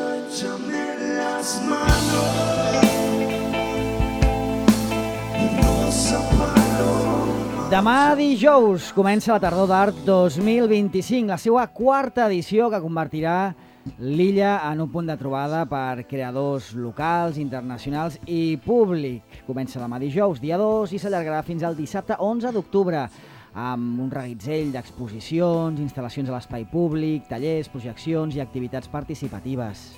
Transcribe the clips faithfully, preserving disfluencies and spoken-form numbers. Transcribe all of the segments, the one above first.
Échame las manos, no separo. Demà dijous comença la Tardor d'Art dos mil vint-i-cinc, la seva quarta edició que convertirà l'illa en un punt de trobada per creadors locals, internacionals i públic. Comença demà dijous, dia dos, i s'allargarà fins al dissabte onze d'octubre, amb un reguitzell d'exposicions, instal·lacions a l'espai públic, tallers, projeccions i activitats participatives.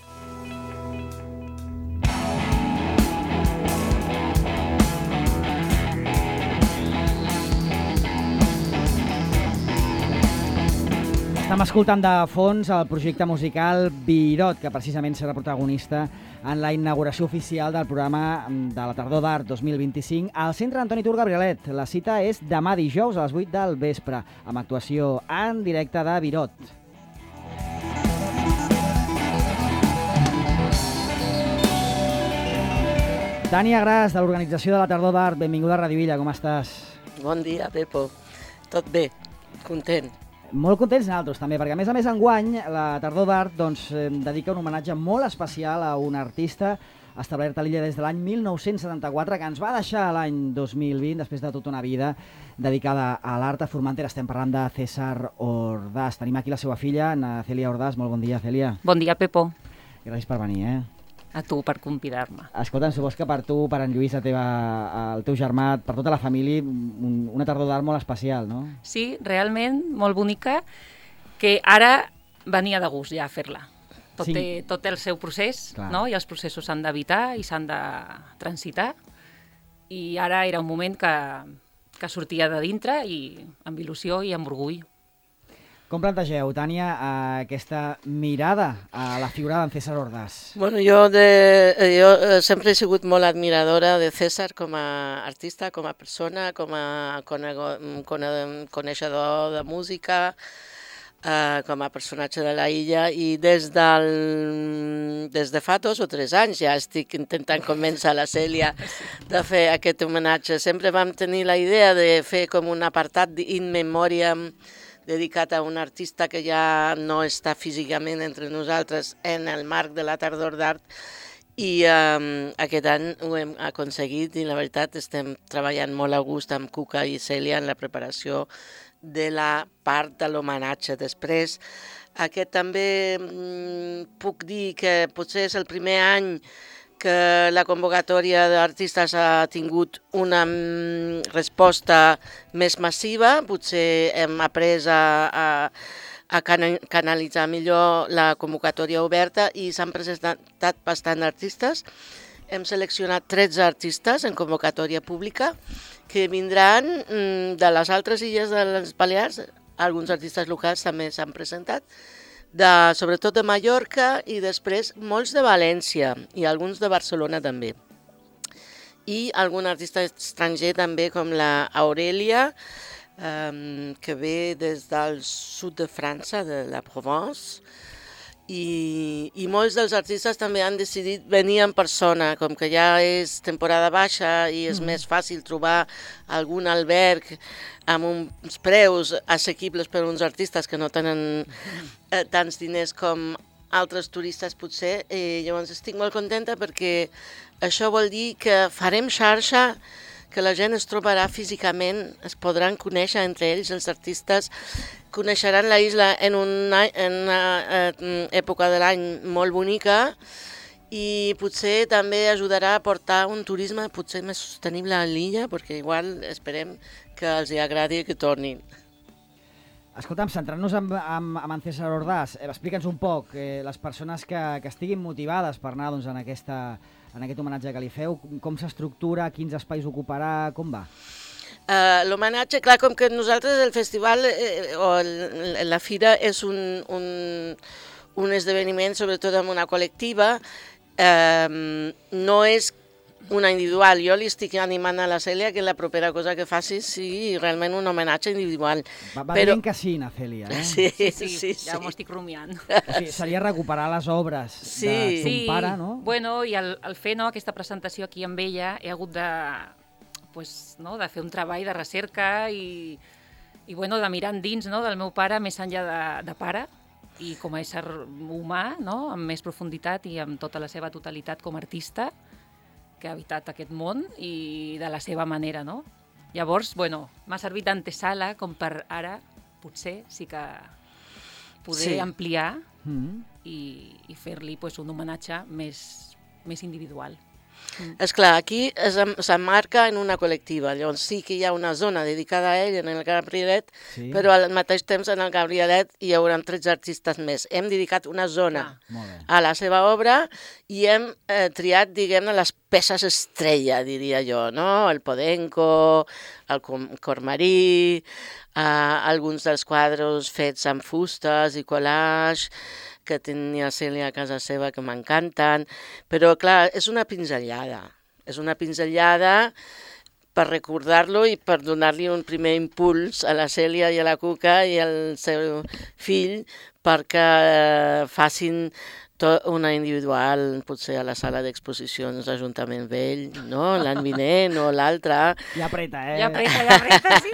Estem escoltant de fons el projecte musical Virot, que precisament serà protagonista en la inauguració oficial del programa de la Tardor d'Art dos mil vint-i-cinc al Centre Antoni Tur Gabrielet. La cita és demà dijous a les vuit del vespre, amb actuació en directe de Virot. Tània Gras, de l'organització de la Tardor d'Art, benvinguda a Radio Illa, com estàs? Bon dia, Pepo. Tot bé, content. Molt contents nosaltres també, perquè a més a més enguany la Tardor d'Art doncs, eh, dedica un homenatge molt especial a un artista establert a l'illa des de l'any mil nou-cents setanta-quatre, que ens va deixar l'any dos mil vint, després de tota una vida dedicada a l'art a Formentera. Estem parlant de César Ordaz. Tenim aquí la seva filla, na Cèlia Ordaz. Molt bon dia, Cèlia. Bon dia, Pepo. Gràcies per venir, eh? A tu per convidar-me. Escolta, supos que per tu, per en Lluís, la teva, el teu germà, per tota la família, un, una Tardor d'Art molt especial, no? Sí, realment, molt bonica, que ara venia de gust ja a fer-la. Tot, Sí. té, tot té el seu procés, Clar. no? I els processos s'han d'evitar i s'han de transitar. I ara era un moment que, que sortia de dintre i amb il·lusió i amb orgull. Com plantegeu, Tània, aquesta mirada a la figura d'en César Ordaz? Bueno, jo, de, jo eh, sempre he sigut molt admiradora de César com a artista, com a persona, com a conego, cone, coneixedor de música, eh, com a personatge de la illa, i des, del, des de fa dos o tres anys ja estic intentant convèncer la Cèlia de fer aquest homenatge. Sempre vam tenir la idea de fer com un apartat in memoriam dedicat a un artista que ja no està físicament entre nosaltres en el marc de la Tardor d'Art, i eh, aquest any ho hem aconseguit i la veritat estem treballant molt a gust amb Cuca i Cèlia en la preparació de la part de l'homenatge. Després, aquest també mm, puc dir que potser és el primer any que la convocatòria d'artistes ha tingut una resposta més massiva. Potser hem après a, a, a canalitzar millor la convocatòria oberta i s'han presentat bastant artistes. Hem seleccionat tretze artistes en convocatòria pública que vindran de les altres illes de les Balears. Alguns artistes locals també s'han presentat, de, sobretot de Mallorca, i després molts de València i alguns de Barcelona també. I algun artista estranger també, com la Aurelia, eh, que ve des del sud de França, de la Provence, i, i molts dels artistes també han decidit venir en persona, com que ja és temporada baixa i és mm. més fàcil trobar algun alberg amb uns preus assequibles per a uns artistes que no tenen eh, tants diners com altres turistes potser. Eh, llavors estic molt contenta perquè això vol dir que farem xarxa, que la gent es trobarà físicament, es podran conèixer entre ells, els artistes coneixeran la isla en una, en una eh, època de l'any molt bonica, i potser també ajudarà a portar un turisme potser més sostenible a l'illa, perquè igual esperem que els hi agradi que tornin. Escolta'm, centrant-nos en, en, en César Ordaz, eh, explica'ns un poc, eh, les persones que, que estiguin motivades per anar doncs, en, aquesta, en aquest homenatge que li feu, com s'estructura, quins espais ocuparà, com va? Uh, L'homenatge, clar, com que nosaltres el festival eh, o el, la fira és un, un, un esdeveniment sobretot amb una col·lectiva, eh, no és una individual. Jo li estic animant a la Cèlia que la propera cosa que faci sigui realment un homenatge individual. Va, va Però... bien que sí, na Cèlia, eh? Sí, sí, sí, sí, ja sí. m'ho estic rumiant. Sí, seria recuperar les obres sí. de ton sí. pare, no? Bueno, i al, al fer no, aquesta presentació aquí amb ella he hagut de, pues, no, de fer un treball de recerca i, i bueno, de mirar endins, no, del meu pare més enllà de, de pare, i com a ésser humà, no? Amb més profunditat i amb tota la seva totalitat com a artista que ha habitat aquest món i de la seva manera, no? Llavors, bueno, m'ha servit d'antesala com per ara, potser, sí que poder Sí. ampliar Mm. i, i fer-li pues, un homenatge més, més individual. És clar, aquí es- s'emmarca en una col·lectiva, llavors sí que hi ha una zona dedicada a ell en el Gabrielet, Sí. però al mateix temps en el Gabrielet hi haurà tretze artistes més. Hem dedicat una zona Molt bé. a la seva obra i hem eh, triat, diguem-ne, les peces estrella, diria jo, no? El Podenco, el Com- Cormarí, eh, alguns dels quadres fets amb fustes i collage, que tenia Cèlia a casa seva, que m'encanten, però clar, és una pinzellada, és una pinzellada per recordar-lo i per donar-li un primer impuls a la Cèlia i a la Cuca i al seu fill perquè facin tot una individual, potser a la sala d'exposicions d'Ajuntament Vell, no? L'any vinent o l'altre. Ja apreta, eh? Ja apreta, ja apreta, sí.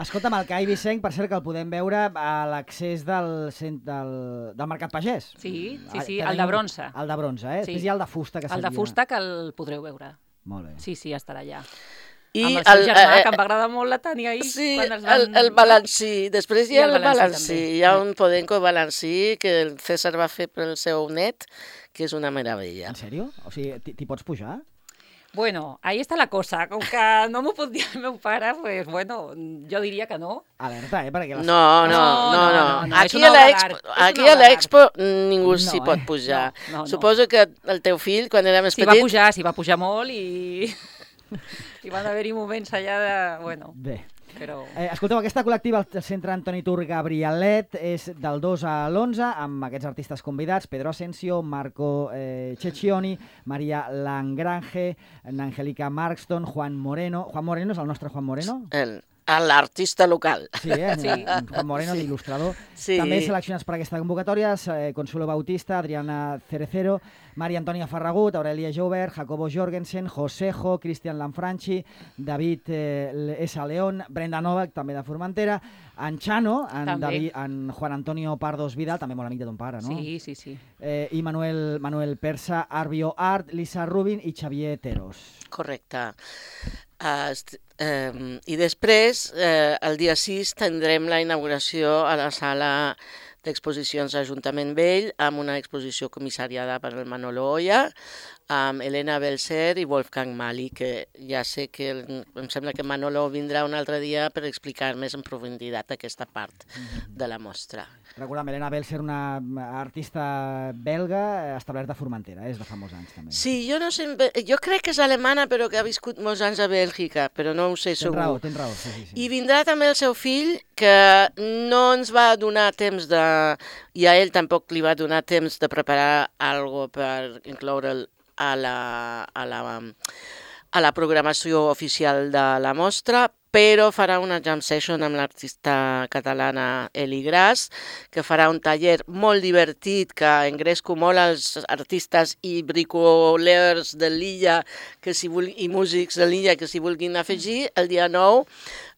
Escolta'm, el Cai Vicenc, per cert, que el podem veure a l'accés del, cent- del, del Mercat Pagès. Sí, sí, Ah, sí, tenim el de bronze. El de bronze, eh? Sí. Després hi ha el de fusta, que El de seria- fusta que el podreu veure. Molt bé. Sí, sí, estarà allà. I Amb el seu germà, eh, que em va agradar molt la Tània ahir. Sí, quan es el, van... el balancí. Després hi I ha el el balancí, balancí. també. Hi ha un Podenco balancí que el César va fer pel seu net, que és una meravella. En sèrio? O sigui, t'hi t'hi pots pujar? Bueno, ahí está la cosa. Com que no m'ho pot dir el meu pare, pues bueno, jo diria que no. Alerta, eh? Perquè les... No, no, No, no, no, no. no, no, és Aquí una a obra l'Expo, d'art, és aquí una a obra l'Expo ningú No, s'hi eh? pot pujar. No, no, no. Suposo que el teu fill, quan era més S'hi va petit... pujar, s'hi va pujar molt i... I van haver-hi moments allà de... Bueno, Bé. però... Eh, escolteu, aquesta col·lectiva al Centre Antoni Tur Gabrielet és del dos a l'onze, amb aquests artistes convidats, Pedro Asensio, Marco eh, Cecchioni, Maria Langrange, Angélica Markston, Juan Moreno. Juan Moreno és el nostre Juan Moreno? El, l'artista local. Sí, eh? Sí. Juan Moreno, Sí. l'il·lustrador. Sí. També seleccionats per aquesta convocatòria, eh, Consuelo Bautista, Adriana Cerecero, Maria Antònia Ferragut, Aurelia Joubert, Jacobo Jorgensen, Josejo, Cristian Lanfranchi, David eh, S. León, Brenda Novak, també de Formentera, en Chano, en, També. David, en Juan Antonio Pardos Vidal, també molt amic de ton pare, no? Sí, sí, sí. Eh, I Manuel, Manuel Persa, Arbio Art, Lisa Rubin i Xavier Teros. Correcte. Uh, est- eh, I després, eh, el dia sis, tindrem la inauguració a la sala d'exposicions d'Ajuntament Vell amb una exposició comissariada per el Manolo Oya, amb Elena Belser i Wolfgang Mali, que ja sé que el, em sembla que Manolo vindrà un altre dia per explicar més en profunditat aquesta part de la mostra. Recordem, Helena Belser, una artista belga establerta a Formentera, és de fa molts anys també. Sí, jo no sé, jo crec que és alemana però que ha viscut molts anys a Bèlgica, però no ho sé Tens segur. raó, tens raó. Sí, sí, sí. I vindrà també el seu fill, que no ens va donar temps de... i a ell tampoc li va donar temps de preparar algo per incloure'l a la, a la, a la programació oficial de la mostra, però farà una jam session amb l'artista catalana Eli Gras, que farà un taller molt divertit que engresco molt als artistes i bricolers de l'illa que si vulgui, i músics de l'illa que s'hi vulguin afegir. El dia nou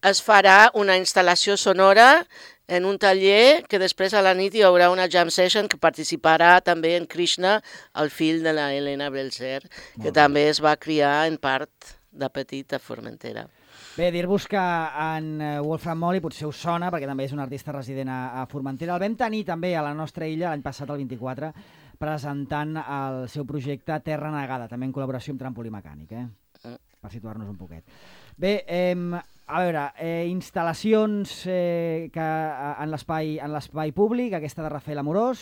es farà una instal·lació sonora en un taller que després a la nit hi haurà una jam session que participarà també en Krishna, el fill de la Helena Belser, que també es va criar en part de petit a Formentera. Bé, dir-vos que en eh, Wolfram Molly potser us sona, perquè també és un artista resident a, a Formentera. El vam tenir també a la nostra illa l'any passat, el vint-i-quatre, presentant el seu projecte Terra Negada, també en col·laboració amb Trampolí Mecànic, eh? Per situar-nos un poquet. Bé, eh, a veure, eh, instal·lacions eh, que, eh, en l'espai en l'espai públic, aquesta de Rafael Amorós.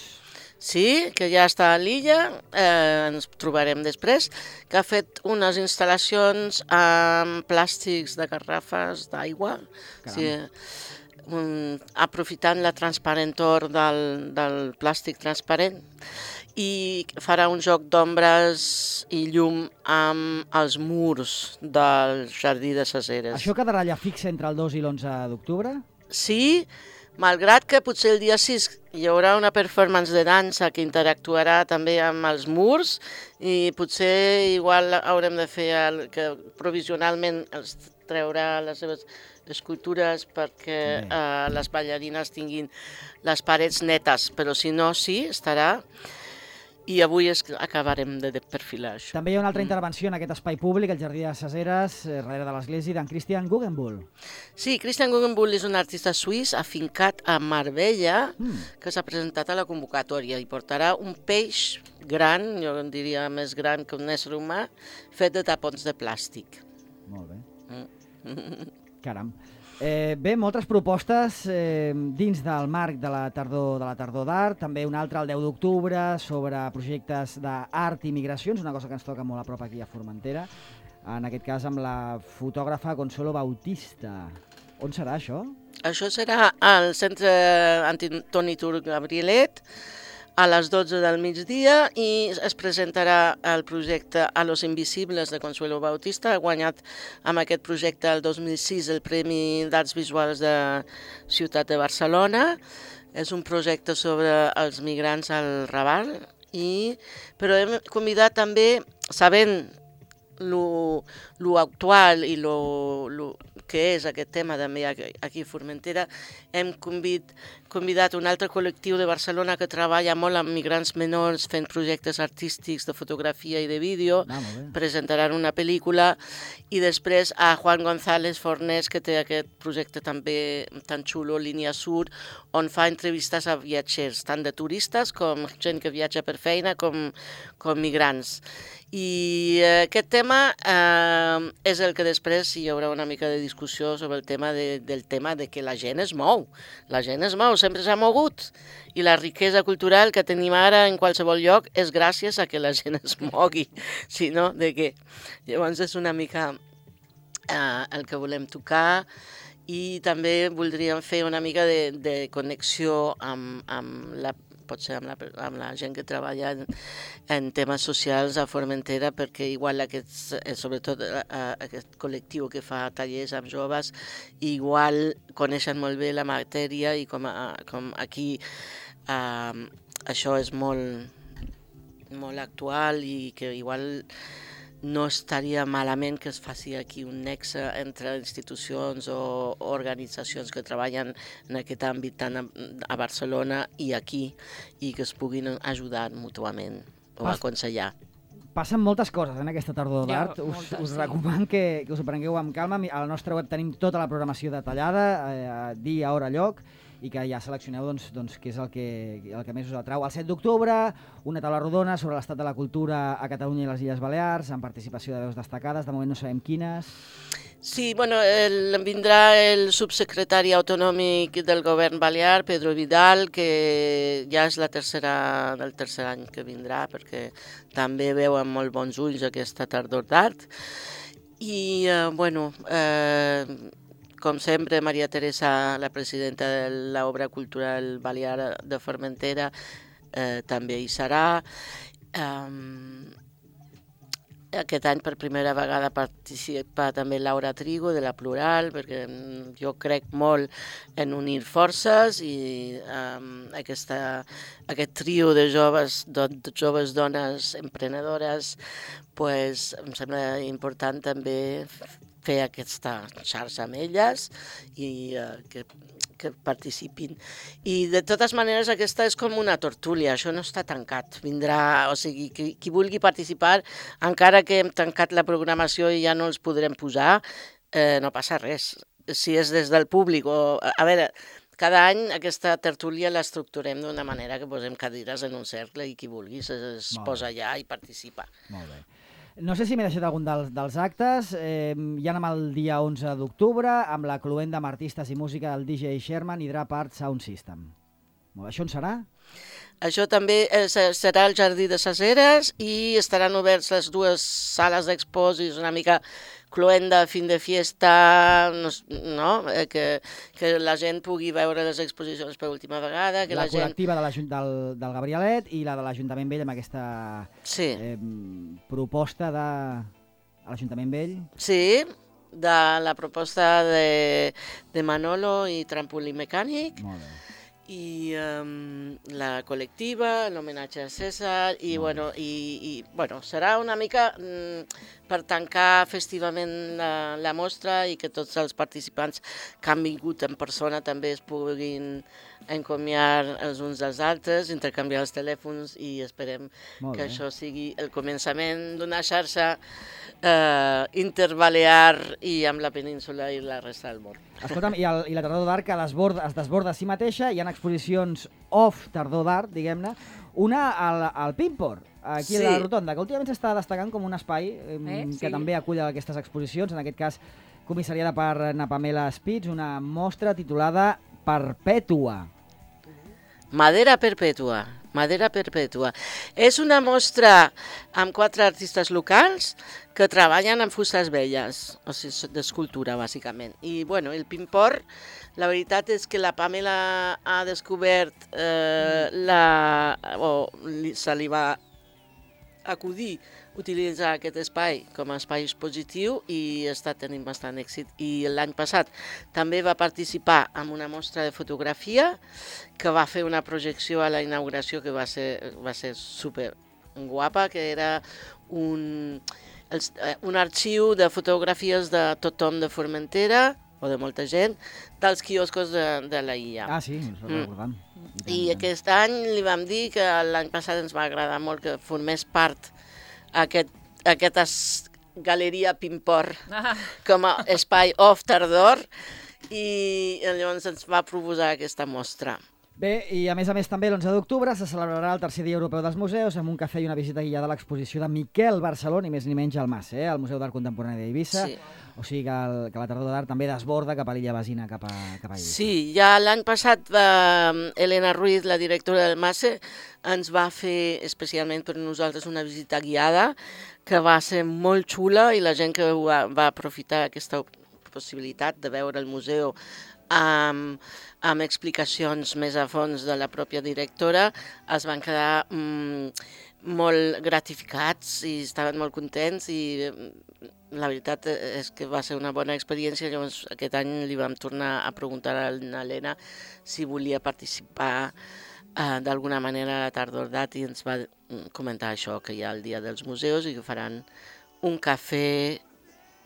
Sí, que ja està a l'illa, eh, ens trobarem després, que ha fet unes instal·lacions amb plàstics de garrafes d'aigua, sí, um, aprofitant la transparentor del, del plàstic transparent, i farà un joc d'ombres i llum amb els murs del Jardí de ses Eres. Això quedarà allà fix entre el dos i l'onze d'octubre? Sí, Malgrat que potser el dia sis hi haurà una performance de dansa que interactuarà també amb els murs i potser igual haurem de fer el, que provisionalment els treurà les seves escultures perquè eh, les ballarines tinguin les parets netes, però si no, sí, estarà. I avui és, acabarem de, de perfilar això. També hi ha una altra intervenció en aquest espai públic, el Jardí de Caseres, eh, darrere de l'església, d'en Christian Guggenbull. Sí, Christian Guggenbull és un artista suís afincat a Marbella Mm. que s'ha presentat a la convocatòria i portarà un peix gran, jo en diria més gran que un ésser humà, fet de tapons de plàstic. Molt bé. Mm. Caram. Eh, bé, moltes propostes eh, dins del marc de la tardor de la tardor d'art, també una altra el deu d'octubre sobre projectes d'art i migracions, una cosa que ens toca molt a prop aquí a Formentera, en aquest cas amb la fotògrafa Consuelo Bautista. On serà això? Això serà al Centre Antoni Turc Gabrielet a les dotze del migdia i es presentarà el projecte A los Invisibles de Consuelo Bautista. Ha guanyat amb aquest projecte el dos mil sis el Premi d'Arts Visuals de Ciutat de Barcelona. És un projecte sobre els migrants al Raval, i, però hem convidat també, sabent lo, lo actual i lo, lo que és aquest tema també aquí a Formentera, hem convid, convidat un altre col·lectiu de Barcelona que treballa molt amb migrants menors fent projectes artístics de fotografia i de vídeo. Ah, molt bé. Presentaran una pel·lícula, i després a Juan González Fornés, que té aquest projecte també tan xulo, Línia Sur, on fa entrevistes a viatgers, tant de turistes com gent que viatja per feina, com, com migrants. I eh, aquest tema eh, és el que després hi haurà una mica de discussió sobre el tema de, del tema de que la gent es mou. La gent es mou, sempre s'ha mogut. I la riquesa cultural que tenim ara en qualsevol lloc és gràcies a que la gent es mogui. Si no, de què? Llavors és una mica eh, el que volem tocar. I també voldríem fer una mica de, de connexió amb, amb la potser amb la, amb la gent que treballa en, en temes socials a Formentera, perquè igual aquests, sobretot aquest col·lectiu que fa tallers amb joves, igual coneixen molt bé la matèria, i com, a, com aquí eh, això és molt, molt actual, i que igual no estaria malament que es faci aquí un nexe entre institucions o organitzacions que treballen en aquest àmbit tant a Barcelona i aquí, i que es puguin ajudar mútuament o Pas- aconsellar. Passen moltes coses en aquesta tardor Ja, d'art. Us, moltes, us sí. recomano que, que us ho prengueu amb calma. A la nostra web tenim tota la programació detallada, eh, dia, hora, lloc, i que ja seleccioneu doncs, doncs, què és el que, el que més us atrau. El set d'octubre, una taula rodona sobre l'estat de la cultura a Catalunya i les Illes Balears, amb participació de veus destacades, de moment no sabem quines. Sí, bueno, el, vindrà el subsecretari autonòmic del govern balear, Pedro Vidal, que ja és la tercera, el tercer any que vindrà, perquè també veu amb molt bons ulls aquesta tardor d'art. I, eh, bueno, eh, com sempre, Maria Teresa, la presidenta de l'Obra Cultural Balear de Formentera, eh, també hi serà. Um, Aquest any per primera vegada participa també Laura Trigo de la Plural, perquè jo crec molt en unir forces, i um, aquesta, aquest trio de joves, de, de joves dones emprenedores, pues, em sembla important també fer aquesta xarxa amb elles i uh, que, que participin. I de totes maneres aquesta és com una tertúlia, això no està tancat. Vindrà, o sigui, qui, qui vulgui participar, encara que hem tancat la programació i ja no els podrem posar, eh, no passa res. Si és des del públic o... A veure, cada any aquesta tertúlia l'estructurem d'una manera que posem cadires en un cercle i qui vulgui es, es Molt bé. posa allà i participa. Molt bé. No sé si m'he deixat algun dels, dels actes. Eh, ja anem el dia onze d'octubre amb la cluenda amb artistes i música del D J Sherman i Drap Art Sound System. Molt bé, això on serà? Això també eh, serà al Jardí de Caseres i estaran oberts les dues sales d'expos, una mica cluenda, fin de fiesta, no, no? Eh, que, que la gent pugui veure les exposicions per última vegada. Que La, la, gent... col·lectiva de del, del Gabrielet i la de l'Ajuntament Vell amb aquesta Sí, eh, proposta de a l'Ajuntament Vell. sí. de la proposta de, de Manolo i Trampolí Mecànic, Molt bé. i um, la col·lectiva, l'homenatge a César, i, bueno, i, i bueno, serà una mica mm, per tancar festivament la, la mostra i que tots els participants que han vingut en persona també es puguin encomiar els uns dels altres, intercanviar els telèfons, i esperem Molt que bé. això sigui el començament d'una xarxa eh, interbalear i amb la península i la resta del món. Escolta'm, i, el, i la Tardor d'Art que desborda, es desborda a si mateixa, hi ha exposicions off Tardor d'Art, diguem-ne, una al, al Pimpor, aquí Sí. a la Rotonda, que últimament s'està destacant com un espai eh, Eh, que sí. també acull aquestes exposicions, en aquest cas comissariada per na Pamela Spitz, una mostra titulada Perpètua. Madera Perpètua, Madera Perpètua. És una mostra amb quatre artistes locals que treballen amb fustes velles, o sigui, d'escultura, bàsicament. I, bueno, el Pimpor, la veritat és que la Pamela ha descobert, eh, la, o li, se li va acudir utilitzar aquest espai com a espai expositiu i està tenint bastant èxit. I l'any passat també va participar en una mostra de fotografia que va fer una projecció a la inauguració que va ser, va ser super guapa, que era un, els, un arxiu de fotografies de tothom de Formentera, o de molta gent, dels quioscos de, de la illa. Ah, sí, ens ho Mm. recordam. I aquest any li vam dir que l'any passat ens va agradar molt que formés part aquest, aquesta es- galeria Pimpor Ah, com a espai off tardor, i llavors ens va proposar aquesta mostra. Bé, i a més a més també l'onze d'octubre se celebrarà el tercer dia europeu dels museus amb un cafè i una visita guiada a l'exposició de Miquel Barceló, ni més ni menys al Mas, eh? al Museu d'Art Contemporani d'Eivissa. Sí. O sigui que, el, que la Tardor d'Art també desborda cap a l'illa Basina, cap a, cap a Eivissa. Sí, ja l'any passat va, Elena Ruiz, la directora del MASE, ens va fer especialment per nosaltres una visita guiada que va ser molt xula, i la gent que va, va aprofitar aquesta possibilitat de veure el museu amb, amb explicacions més a fons de la pròpia directora es van quedar mm, molt gratificats i estaven molt contents, i mm, la veritat és que va ser una bona experiència. Llavors aquest any li vam tornar a preguntar a l'Helena si volia participar eh, d'alguna manera a la Tardor d'Art, i ens va comentar això, que hi ha el Dia dels Museus i que faran un cafè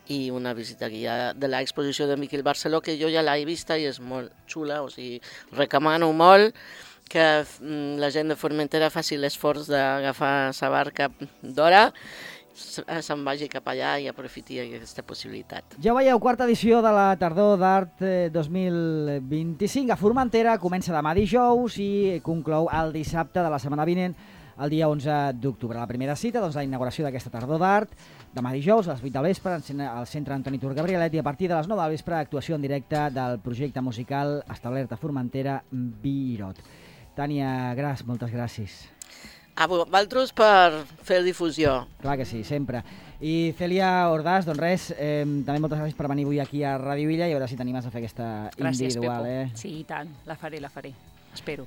i una visita guiada de l'exposició de Miquel Barceló, que jo ja l'he vista i és molt xula, o sigui, recomano molt que mm, la gent de Formentera faci l'esforç d'agafar sa barca d'hora, se- se'n vagi cap allà i aprofiti aquesta possibilitat. Ja ho veieu, quarta edició de la Tardor d'Art eh, dos mil vint-i-cinc a Formentera, comença demà dijous i conclou el dissabte de la setmana vinent, el dia onze d'octubre. La primera cita, doncs, la inauguració d'aquesta Tardor d'Art, demà dijous a les vuit del vespre al Centre Antoni Tur Gabrielet, i a partir de les nou del vespre actuació en directe del projecte musical establert a Formentera, Birot. Tània Gras, moltes gràcies. A vosaltres per fer difusió. Clar que sí, sempre. I Cèlia Ordàs, doncs res, eh, també moltes gràcies per venir avui aquí a Ràdio Illa i a veure si t'animes a fer aquesta gràcies, individual. Pepo. Eh? Sí, i tant. La faré, la faré. Espero.